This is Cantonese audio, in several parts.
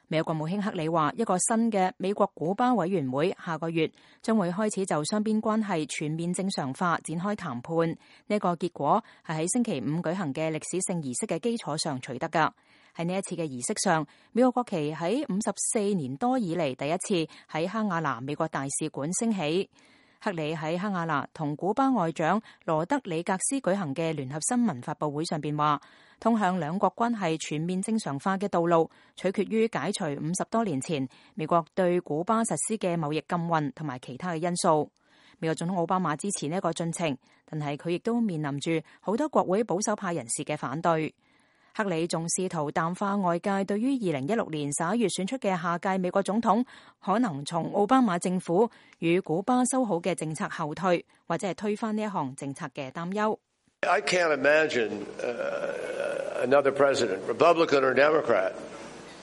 美國國務卿克里話，一個新嘅美國古巴委員會下個月將會開始就雙邊關係全面正常化展開談判。呢個結果係喺星期五舉行嘅歷史性儀式嘅基礎上取得㗎。喺呢一次嘅儀式上，美國國旗喺54年多以嚟第一次喺哈瓦那美國大使館升起。克里喺哈瓦那同古巴外長羅德里格斯舉行嘅聯合新聞發佈會上邊話，通向兩國關係全面正常化嘅道路取決於解除50多年前美國對古巴實施嘅貿易禁運同埋其他嘅因素。美國總統奧巴馬支持呢一個進程，但係佢亦都面臨住好多國會保守派人士嘅反對。克里仲試圖淡化外界對於2016年11月選出嘅下屆美國總統可能從奧巴馬政府與古巴修好嘅政策後退，或者係推翻呢一項政策嘅擔憂。I can't imagine another president, Republican or Democrat,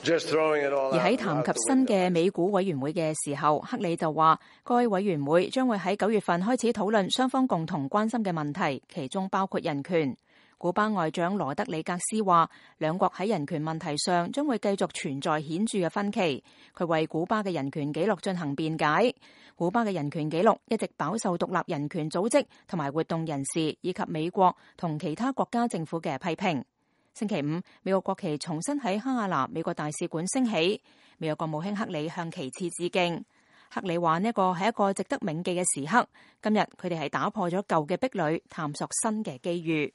just throwing it all out. 而喺談及新嘅美古委員會嘅時候，克里就話，該委員會將會喺9月份開始討論雙方共同關心嘅問題，其中包括人權。古巴外長羅德里格斯話，兩國喺人權問題上將會繼續存在顯著嘅分歧。佢為古巴嘅人權紀錄進行辯解。古巴嘅人權紀錄一直飽受獨立人權組織同埋活動人士以及美國同其他國家政府嘅批評。星期五，美國國旗重新喺哈瓦那美國大使館升起，美國國務卿克里向旗幟致敬。克里話呢個係一個值得銘記嘅時刻。今日佢哋係打破咗舊嘅壁壘，探索新嘅機遇。